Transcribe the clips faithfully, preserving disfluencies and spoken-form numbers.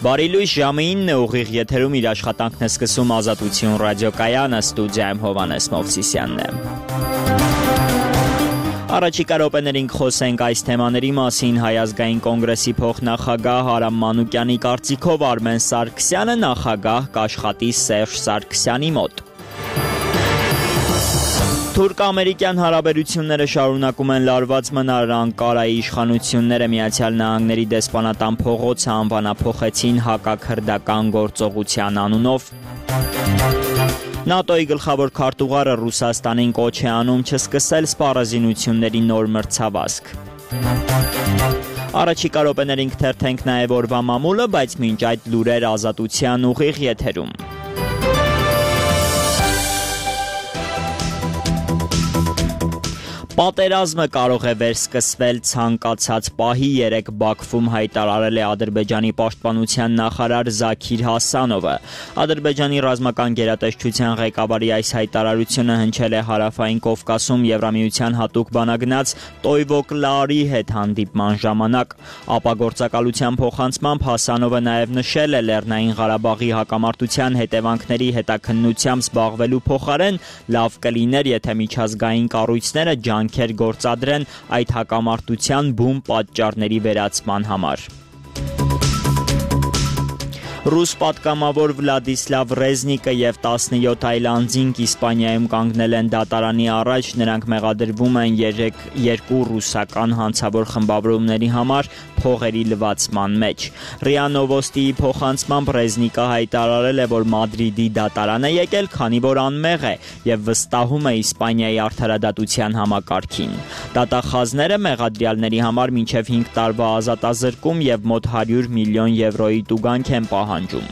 Բարի լույս, ժամը ինը ուղիղ եթերում իր աշխատանքն է սկսում Ազատություն ռադիոկայանը, ստուդիայում Հովհաննես Մովսիսյանն է։ Առաջիկա րոպեներին կխոսենք այս թեմաների մասին։ Հայ ազգային կոնգրեսի փոխնախագահ Արամ Մանուկյանի կարծիքով Արմեն Սարգսյանը նախագահ կաշխատի Սերժ Սարգսյանի մոտ։ Թուրք-ամերիկյան հարաբերությունները շարունակում են լարված մնալ։ Անկարայի իշխանությունները Միացյալ Նահանգների դեսպանատան փողոցը անվանափոխեցին հակաքրդական գործողության անունով։ ՆԱՏՕ-ի գլխավոր քարտուղարը Ռուսաստանին կոչ է անում չսկսել սպառազինությունների նոր մրցավազք։ Առաջիկա րոպեներին կթերթենք նաև օրվա մամուլը, բայց մինչ այդ լուրեր Ազատության ուղիղ եթերում։ Պատերազմը կարող է վերսկսվել ցանկացած պահի, երեկ Բաքվում հայտարարել է Ադրբեջանի պաշտպանության նախարար Զաքիր Հասանովը։ Ադրբեջանի ռազմական գերատեսչության ղեկավարի այս հայտարարությունը հնչել է Հարավային Կովկասում Եվրամիության հատուկ բանագնաց Տոյվոկլարի հետ հանդիպման ժամանակ։ Ապագործակալության փոխանցմամբ Հասանովը նաև նշել է Լեռնային Ղարաբաղի հակամարտության հետևանքների հետաքննությամբ զբաղվելու փոխարեն լավ կլիներ, եթե միջազգային կառույցները ջանքեր գործադրեն այդ հակամարտության բուն պատճառների վերացման համար։ Ռուս պատգամավոր Վլադիսլավ Ռեզնիկը և տասնյոթ այլ անձինք Իսպանիայում կանգնել են դատարանի առաջ, նրանք մեղադրվում են երկու ռուսական հանցավոր խմբավորումների համար փողերի լվացման մեջ։ ՌԻԱ Նովոստիի փոխանցմամբ Ռեզնիկը հայտարարել է, որ Մադրիդի դատարան է եկել, քանի որ անմեղ է և վստահում է Իսպանիայի արդարադատության համակարգին։ Դատախազները մեղադրյալների համար մինչև հինգ տարվա ազատազրկում և մոտ հարյուր միլիոն եվրոյի տուգանք են պահանջում։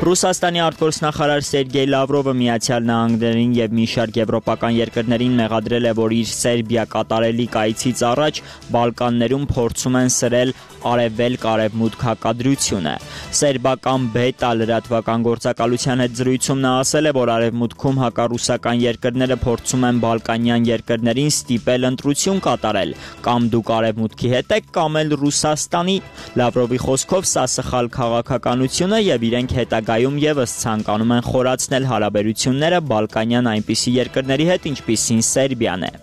Ռուսաստանի արտգործնախարար Սերգեյ Լավրովը Միացյալ Նահանգներին և մի շարք եվրոպական երկրներին մեղադրել է, որ իր Սերբիա կատարելիք այցից առաջ Բալկաններում փորձում են սրել արևելք-արևմուտք հակադրությունը։ Սերբական Բետա լրատվական գործակալության հետ զրույցում նա ասել է, որ արևմուտքում հակառուսական երկրները փորձում են բալկանյան երկրներին ստիպել ընտրություն կատարել, կամ դուք արևմուտքի հետ եք, կամ էլ Ռուսաստանի։ Լավրովի խոսքով սա սխալ քաղաքականություն է և իրենք հետագայում ևս ցանկանում են խորացնել հարաբերությունները բալկանյան այնպիսի երկրների հետ, ինչպիսին Սերբիան է։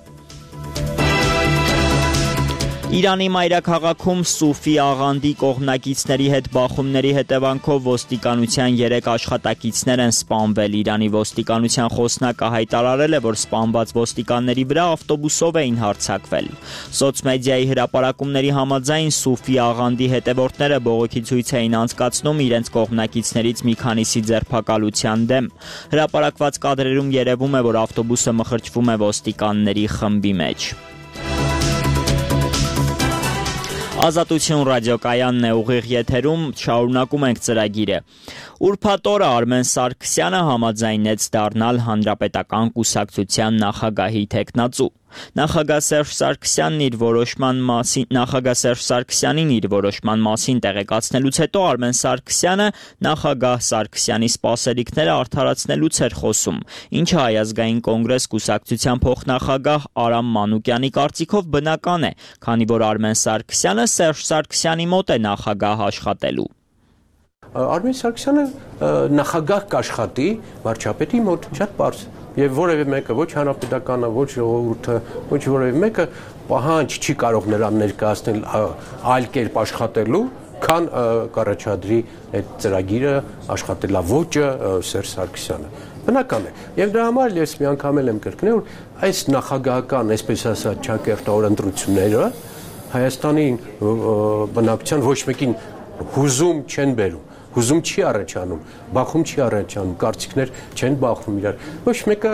Իրանի մայրաքաղաքում Սուֆի աղանդի կողմնակիցների հետ բախումների հետևանքով ոստիկանության երեք աշխատակիցներ են սպանվել։ Իրանի ոստիկանության խոսնակը հայտարարել է, որ սպանված ոստիկանների վրա ավտոբուսով էին հարձակվել։ Սոցմեդիայի հրապարակումների համաձայն Սուֆի աղանդի հետևորդները բողոքի ցույց էին անցկացնում իրենց կողմնակիցներից մի քանիսի ձերբակալության դեմ։ Հրապարակված կադրերում երևում է, որ ավտոբուսը մխրճվում է ոստիկանների խմբի մեջ։ Ազատություն ռադիոկայանն է ուղիղ եթերում, շարունակում ենք ծրագիրը։ Ուրբաթ օրը Արմեն Սարգսյանը համաձայնեց դառնալ Հանրապետական կուսակցության նախագահի թեկնածու։ Նախագահ Սերժ Սարգսյանն իր որոշման մասին նախագահ Սերժ Սարգսյանին իր որոշման մասին տեղեկացնելուց հետո Արմեն Սարգսյանը նախագահ Սարգսյանի սպասելիքները արդարացնելուց էր խոսում, ինչը Հայ ազգային կոնգրես կուսակցության փոխնախագահ Արամ Մանուկյանի կարծիքով բնական է, քանի որ Արմեն Սարգսյանը Սերժ Սարգսյանի մոտ է նախագահ աշխատելու։ Արմեն Սարգսյանը նախագահ կաշխատի վարչապետի մոտ, շատ պարզ։ Եվ որևէ մեկը, ոչ հանրապետականը, ոչ ժողովուրդը, ոչ որևէ մեկը պահանջ չի կարող նրան ներկայացնել այլ կերպ աշխատելու, քան կառաջադրի այդ ծրագիրը աշխատելավոճը Սերժ Սարգսյանը։ Բնական է։ Եվ դրա համար ես մի անգամ եմ կրկնել, որ այս նախագահական, այսպես ասած, ճակերտավոր ընտրությունները Հայաստանի բնակչության ոչ մեկին հուզում չեն բերում։ Հուզում չի առաջանում, բախում չի առաջանում, կարծիքներ չեն բախում իրար։ Ոչ մեկը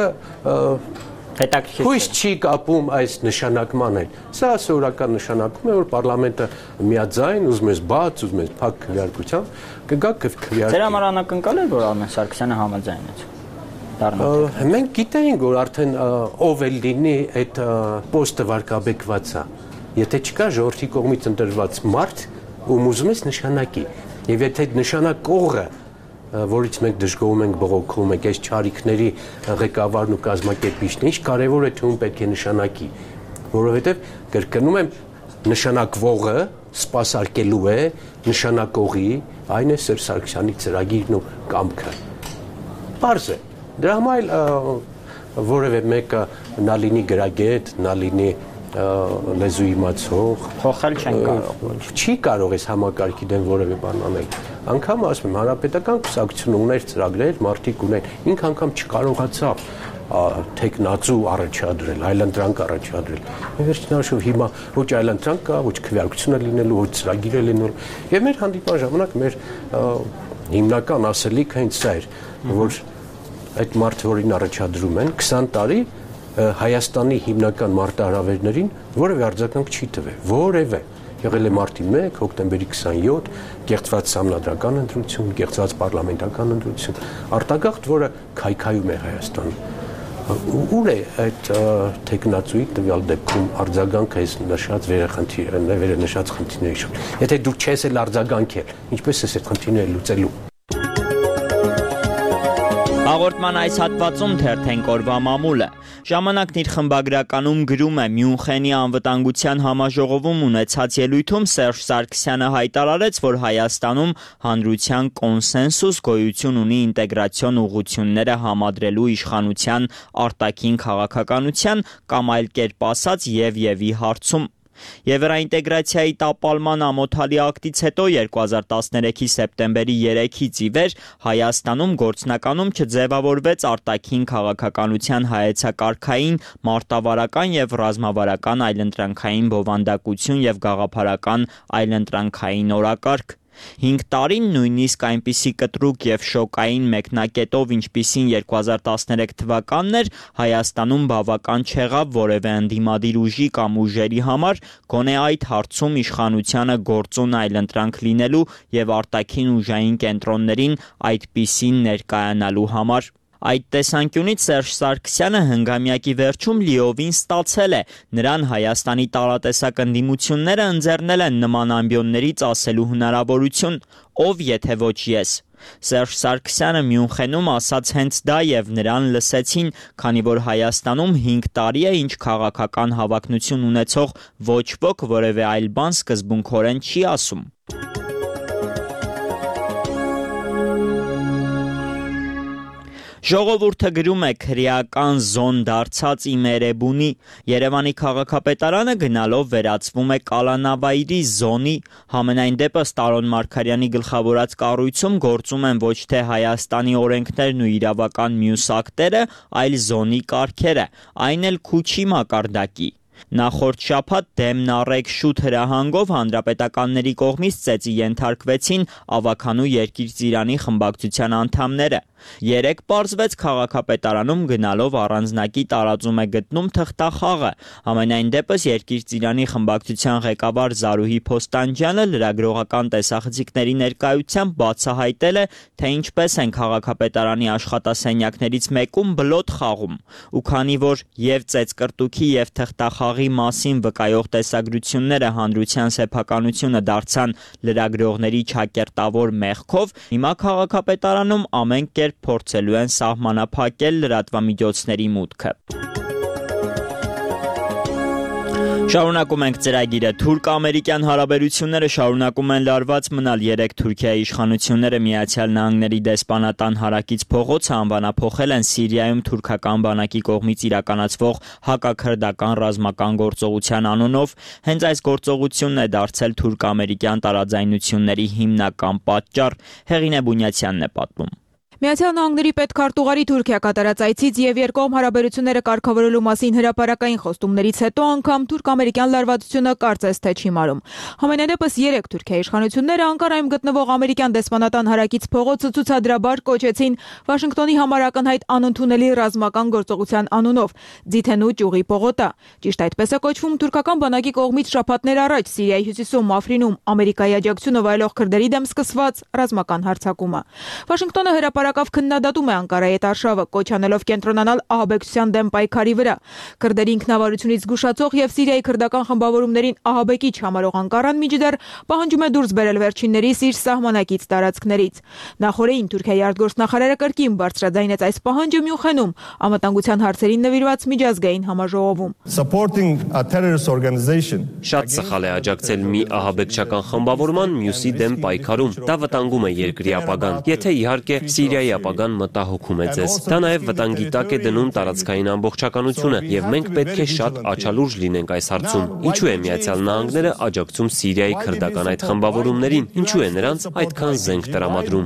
հույս չի կապում այս նշանակման հետ։ Սա սովորական նշանակում է, որ պարլամենտը միաձայն, ուզում ես բաց, ուզում ես փակ քվեարկությամբ, կգա քվեարկի։ Ձեր համար անակնկալ էր, որ Արմեն Սարգսյանը համաձայնեց։ Մենք գիտեինք, որ արդեն ով էլ լինի այդ պոստը վարկաբեկված է։ Եթե չկա ժողովրդի կողմից ընտրված մարդ, ում ուզում ես նշանակի։ Եվ եթե նշանակողը, որից մենք դժգոհում ենք, բողոքում ենք, այս չարիքների ղեկավարն ու կազմակերպիչն, ինչ կարևոր է թե ում պետք է նշանակի, որովհետև կրկնում եմ, նշանակվողը սպասարկելու է նշանակողի, այն է Սերժ Սարգսյանի ծրագիրն ու կամքը։ Պարզ է։ Դրա համար որևէ մեկը նա լինի գրագետ, նա լինի լեզու իմացող, փոխել չեն կարող։ Չի կարող այս համակարգի դեմ որևէ բան անել։ Անգամ ասում եմ, հանրապետական կուսակցությունը ուներ ծրագրեր, մարդիկ ուներ, ինքը անգամ չկարողացավ թեկնածու առաջադրել, այլընտրանք առաջադրել։ Վերջնաշով հիմա ոչ այլընտրանք կա, ոչ քվեարկություն է լինելու, ոչ ծրագիր է լինելու։ Եվ մեր հանդիպման ժամանակ մեր հիմնական ասելիքը հենց սա էր, որ այդ մարդը, որին առաջադրում են, քսան տարի Հայաստանի հիմնական մարտահրավերներին որևէ արձագանք չի տվել, որևէ։ Եղել է մարտի մեկ, հոկտեմբերի քսանյոթ, կեղծված համանդրական ընտրություն, կեղծված պարլամենտական ընտրություն, արտագաղթ, որը քայքայում է Հայաստանում։ Ուր է այդ թեկնածուի տվյալ դեպքում արձագանքը այս նշած վերնշած խնդիրների շուրջ։ Եթե դու չես էլ արձագանքել, ինչպես ես այդ խնդիրները լուծելու։ Հաղորդման այս հատվածում թերթենք օրվա մամուլը։ Ժամանակն իր խմբագրականում գրում է Մյունխենի անվտանգության համաժողովում ունեցած ելույթում Սերժ Սարգսյանը հայտարարեց, որ Հայաստանում հանրության կոնսենսուս գոյություն ունի ինտեգրացիոն ուղղությունները համադրելու իշխանության արտաքին քաղաքականության կամ այլ կերպ ասած եւ-եւի հարցում։ Եվրոինտեգրացիայի տապալման ամոթալի ակտից հետո երկու հազար տասներեքի սեպտեմբերի երեքից ի վեր Հայաստանում գործնականում չձևավորվեց արտաքին քաղաքականության հայեցակարգային, մարտավարական եւ ռազմավարական այլընտրանքային բովանդակություն եւ գաղափարական այլընտրանքային օրակարգ։ Հինգ տարին նույնիսկ այնպիսի կտրուկ եւ շոկային մեկնակետով, ինչպիսին երկու հազար տասներեք թվականն էր, Հայաստանում բավական չեղավ որևէ ընդդիմադիր ուժի կամ ուժերի համար գոնե այդ հարցում իշխանությանը գործուն այլընտրանք լինելու եւ արտաքին ուժային կենտրոններին այդպիսին ներկայանալու համար։ Այդ տեսանկյունից Սերժ Սարգսյանը հնգամյակի վերջում լիովին ստացել է, նրան Հայաստանի տարատեսակ ընդդիմությունները ընձեռնել են նման ամբիոններից ասելու հնարավորություն, ով եթե ոչ ես։ Սերժ Սարգսյանը Մյունխենում ասաց հենց դա եւ նրան լսեցին, քանի որ Հայաստանում հինգ տարի է, ինչ քաղաքական հավակնություն ունեցող ոչ ոք որևէ այլ բան սկզբունքորեն չի ասում։ Ժողովուրդը գրում է քրեական զոն դարձած իմ Էրեբունի, Երևանի քաղաքապետարանը գնալով վերածվում է կալանավայրի զոնի, համենայն դեպս Տարոն Մարգարյանի գլխավորած կառույցում գործում են ոչ թե Հայաստանի օրենքներն ու իրավական մյուս ակտերը, այլ զոնի կարգերը, այն էլ քուչի մակարդակի։ Նախորդ շաբաթ դեմն առեք շուտ հրահանգով հանրապետականների կողմից ծեծի ենթարկվեցին Ավագանու Երկիր Ծիրանի խմբակցության անդամները։ Երեկ պարզվեց քաղաքապետարանում գնալով առանձնակի տարածում է գտնում թղթախաղը։ Համենայն դեպս Երկիր Ծիրանի խմբակցության ղեկավար Զարուհի Փոստանջյանը լրագրողական տեսախցիկների ներկայությամբ բացահայտել է, թե ինչպես են քաղաքապետարանի աշխատասենյակներից մեկում բլոտ խաղում։ Ու քանի որ եւ ծեծկրտուքի եւ թղթախաղի մասին վկայող տեսագրությունները հանրության սեփականությունը դարձան լրագրողների չակերտավոր մեղքով, հիմա քաղաքապետարանում ամեն կերպ փորձելու են սահմանափակել լրատվամիջոցների մուտքը։ Շարունակում ենք ծրագիրը։ Թուրք-ամերիկյան հարաբերությունները շարունակում են լարված մնալ։ Երեք Թուրքիայի իշխանությունները Միացյալ Նահանգների դեսպանատան հարակից փողոցը անվանափոխել են Սիրիայում թուրքական բանակի կողմից իրականացվող հակաքրդական ռազմական գործողության անունով։ Հենց այս գործողությունն է դարձել թուրք-ամերիկյան տարաձայնությունների հիմնական պատճառ։ Հեղինե Բունյացյանն է պատմում։ Միացյալ Նահանգների պետքարտուղարի Թուրքիա կատարած այցից եւ երկկողմ հարաբերությունները կարգավորելու մասին հրապարակային խոստումներից հետո անգամ թուրք-ամերիկյան լարվածությունը կարծես թե չի մարում։ Համենայնդեպս երեք Թուրքիայի իշխանությունները Անկարայում գտնվող ամերիկյան դեսպանատան հարակից փողոցը ցուցադրաբար կոչեցին Վաշինգտոնի համար ակնհայտ անընդունելի ռազմական գործողության անունով Ձիթենու ճյուղի պողոտա։ Ճիշտ այդպես է կոչվում թուրքական բանակի կողմից շաբաթներ առաջ Սիրիայի հյուսիսում Աֆրինում Ամերիկայի աջակցությունը վայելող քրդերի դեմ սկսված ռազմական հարձակումը։ Վաշինգտոնը հրապարակ որակավ քննադատում է Անկարայի հետ արշավը, կոչ անելով կենտրոնանալ ահաբեկչության դեմ պայքարի վրա։ Քրդերի ինքնավարությունից զգուշացող եւ Սիրիայի քրդական խմբավորումներին ահաբեկիչ համարող Անկարան միջդեռ պահանջում է դուրս բերել վերջիններիս իր սահմանակից տարածքներից։ Նախորդին Թուրքիայի արտգործնախարարը կրկին բարձրաձայնեց այս պահանջը Մյունխենում անվտանգության հարցերին նվիրված միջազգային համաժողովում։ Շատ սխալ է աջակցել մի ահաբեկչական խմբավորման մյուսի դեմ պայքարում։ Դա վտանգում է երկրի ապագան։ Եթե իհարկե Սիրիայի ապագան մտահոգում է ձեզ, դա նաև վտանգի տակ է դնում տարածքային ամբողջականությունը, եւ մենք պետք է շատ աչալուրջ լինենք այս հարցում։ Ինչու է Միացյալ Նահանգները աջակցում Սիրիայի քրդական այդ խմբավորումներին։ Ինչու է նրանց այդքան զենք տրամադրում։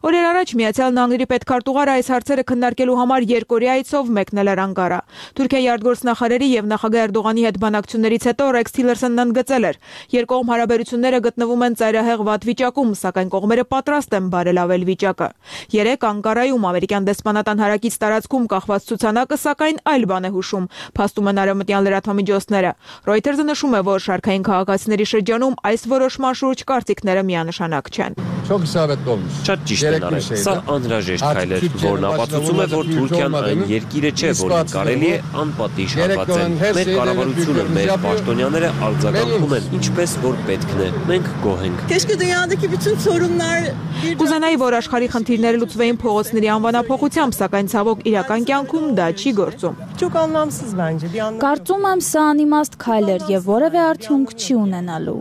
Օրեր առաջ Միացյալ Նահանգների պետքարտուղարը այս հարցերը քննարկելու համար երկօրյա այցով մեկնել էր Անկարա։ Թուրքիայի արտգործնախարարի եւ նախագահ Էրդողանի հետ բանակցություններից հետո Ռեքս Թիլերսոնն ընդգծել էր. երկկողմ հարաբերությունները գտնվում են ծայրահեղ վատ վիճակում, սակայն կողմերը պատրաստ են բարելավել վիճակը։ Երեք Անկարայում ամերիկյան դեսպանատան հարակից տարածքում կախված ցուցանակը սակայն այլ բան է հուշում, փաստում են արևմտյան լրատվամիջոցները։ Reuters-ը նշում է, որ շարքային քաղաքացիների շրջանում այս որոշման շուրջ կարծիքները միանշանակ չեն։ Շատ ճիշտ են արել։ Սա անհրաժեշտ քայլ է, որն ապացուցում է, որ Թուրքիան այն երկիրը չէ, որին կարելի է անպատիժ հարվածել։ Մեր կառավարությունը, մեր պաշտոնյաները արձագանքում են ինչպես որ պետքն է։ Մենք գոհ ենք։ Կուզենայի, որ աշխարհի խնդիրները լուծվեին փողոցների անվանափոխությամբ, սակայն ցավոք իրական կյանքում դա չի գործում։ Կարծում եմ, սա անիմաստ քայլ էր եւ որևէ արդյունք չի ունենալու։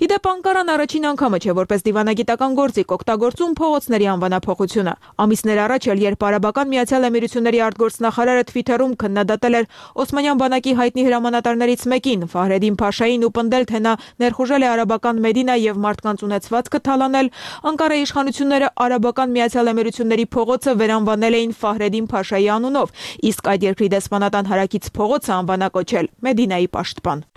Իդեպ Անկարան առաջին անգամը չէ, որպես դիվանագիտական գործիք օգտագործում փողոցների անվանափոխությունը։ Ամիսներ առաջ էլ, երբ Արաբական Միացյալ Էմիրությունների արտգործնախարարը Թվիթերում քննադատել էր Օսմանյան բանակի հայտնի հրամանատարներից մեկին, Ֆահրեդին Փաշային, ու պնդել, թե նա ներխուժել է արաբական Մեդինա եւ մարդկանց ունեցվածքը թալանել, Անկարայի իշխանությունները Արաբական Միացյալ Էմիրությունների փողոցը վերանվանել էին Ֆահրեդին Փաշայի անունով, իսկ այդ երկրի դեսպանատան հարակից փողոցը անվանակոչել Մեդինայի պաշտպան։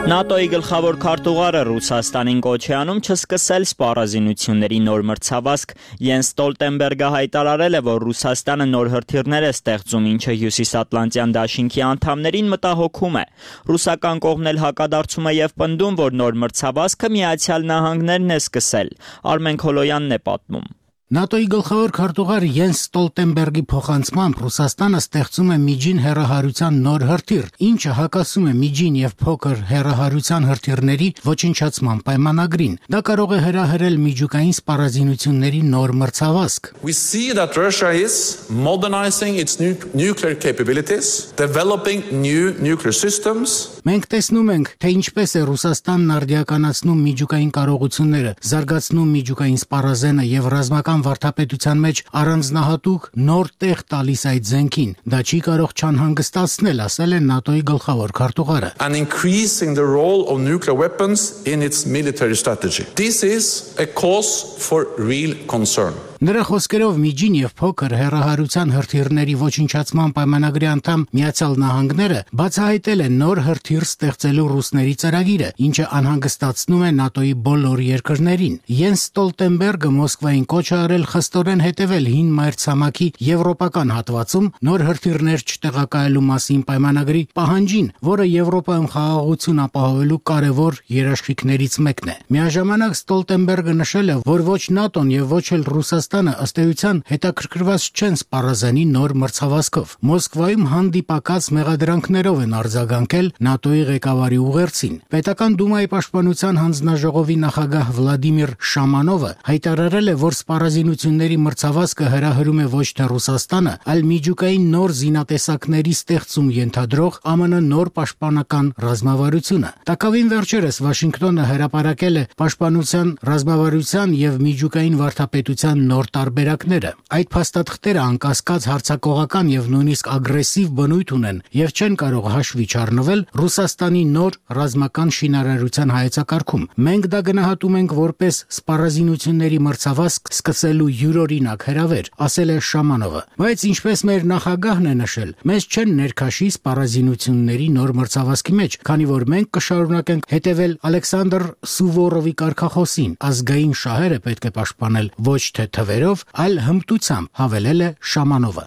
ՆԱՏՕ-ի գլխավոր քարտուղարը Ռուսաստանին կոչ է անում չսկսել սպառազինությունների նոր մրցավազք։ Յենս Ստոլտենբերգը հայտարարել է, որ Ռուսաստանը նոր հրթիռներ է ստեղծում, ինչը Հյուսիսատլանտյան դաշինքի անդամներին մտահոգում է։ Ռուսական կողմն էլ հակադարձում է եւ պնդում, որ նոր մրցավազքը Միացյալ Նահանգներն է սկսել։ Արմեն Քոլոյանն է պատմում։ ՆԱՏՕ-ի գլխավոր քարտուղար Յենս Ստոլտենբերգի փոխանցմամբ Ռուսաստանը ստեղծում է միջին հեռահարության նոր հրթիռ, ինչը հակասում է միջին եւ փոքր հեռահարության հրթիռների ոչնչացման պայմանագրին։ Դա կարող է հրահրել միջուկային սպառազինությունների նոր մրցավազք։ We see that Russia is modernizing its nuclear capabilities, developing new nuclear systems. Մենք տեսնում ենք, թե ինչպես է Ռուսաստանն արդիականացնում միջուկային կարողությունները, զարգացնում միջուկային սպառազենը եւ ռազմական վարդապետության մեջ առանձնահատուկ նոր տեղ տալիս այդ զենքին։ Դա չի կարող չանհանգստացնել, ասել է ՆԱՏՕ-ի գլխավոր քարտուղարը։ And increasing the role of nuclear weapons in its military strategy. This is a cause for real concern. Նրա խոսքերով միջին եւ փոքր հեռահարության հրթիռների ոչնչացման պայմանագրի անդամ Միացյալ Նահանգները բացահայտել են նոր հրթիռ ստեղծելու ռուսների ծրագիրը, ինչը անհանգստացնում է ՆԱՏՕ-ի բոլոր երկրներին։ Յենս Ստոլտենբերգը Մոսկվային կոչ է արել խստորեն հետևել հին մայրցամաքի եվրոպական հատվածում նոր հրթիռներ չտեղակայելու մասին պայմանագրի պահանջին, որը Եվրոպայում խաղաղություն ապահովելու կարևոր երաշխիքներից մեկն է։ Միաժամանակ Ստոլտենբերգը նշել է, որ ոչ ՆԱՏՕ-ն եւ ոչ էլ Ռուսաստանը ըստ էության հետաքրքրված չեն սպառազանի նոր մրցավազքով։ Մոսկվայում հանդիպակաց մեղադրանքներով են արձագանքել ՆԱՏՕ-ի ղեկավարի ուղերձին։ Պետական դումայի պաշտպանության հանձնաժողովի նախագահ Վլադիմիր Շամանովը հայտարարել է, որ սպառազինությունների մրցավազքը հրահրում է ոչ թե Ռուսաստանը, այլ միջուկային նոր զինատեսակների ստեղծում ենթադրող ԱՄՆ նոր պաշտպանական ռազմավարությունը։ Տակավին վերջերս Վաշինգտոնը հրապարակել է պաշտպանության ռազմավարության եւ միջուկային վարդապետության նոր տարբերակները։ Այդ փաստաթղթերը անկասկած հարձակողական եւ նույնիսկ ագրեսիվ բնույթ ունեն եւ չեն կարող հաշվի չառնվել Ռուսաստանի նոր ռազմական շինարարության հայեցակարգում։ Մենք դա գնահատում ենք որպես սպառազինությունների մրցավազք սկսելու յուրօրինակ հրավեր, ասել է Շամանովը։ Բայց ինչպես մեր նախագահն է նշել, մեզ չեն ներքաշի սպառազինությունների նոր մրցավազքի մեջ, քանի որ մենք կշարունակենք հետևել Ալեքսանդր Սուվորովի կարգախոսին. ազգային շահերը պետք է պաշտպանել ոչ թե թվերով, այլ հմտությամբ, հավելել է Շամանովը։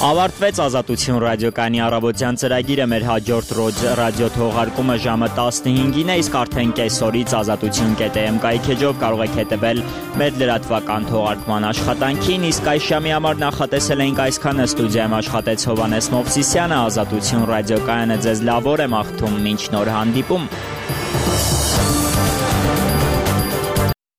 Ավարտվեց Ազատություն ռադիոկայանի առավոտյան ծրագիրը, մեր հաջորդ ռադիո թողարկումը ժամը տասնհինգին է, իսկ արդեն կեսօրից ազատություն կետ է էմ կայքեջով կարող եք հետևել մեր լրատվական թողարկման աշխատանքին, իսկ այս ժամի համար նախատեսել էինք այսքանը, ստուդիայում աշխատեց Հովհաննես Մովսիսյանը, Ազատություն ռադիոկայանը ձեզ լավ օր է մաղթում, մինչ նոր հանդիպում։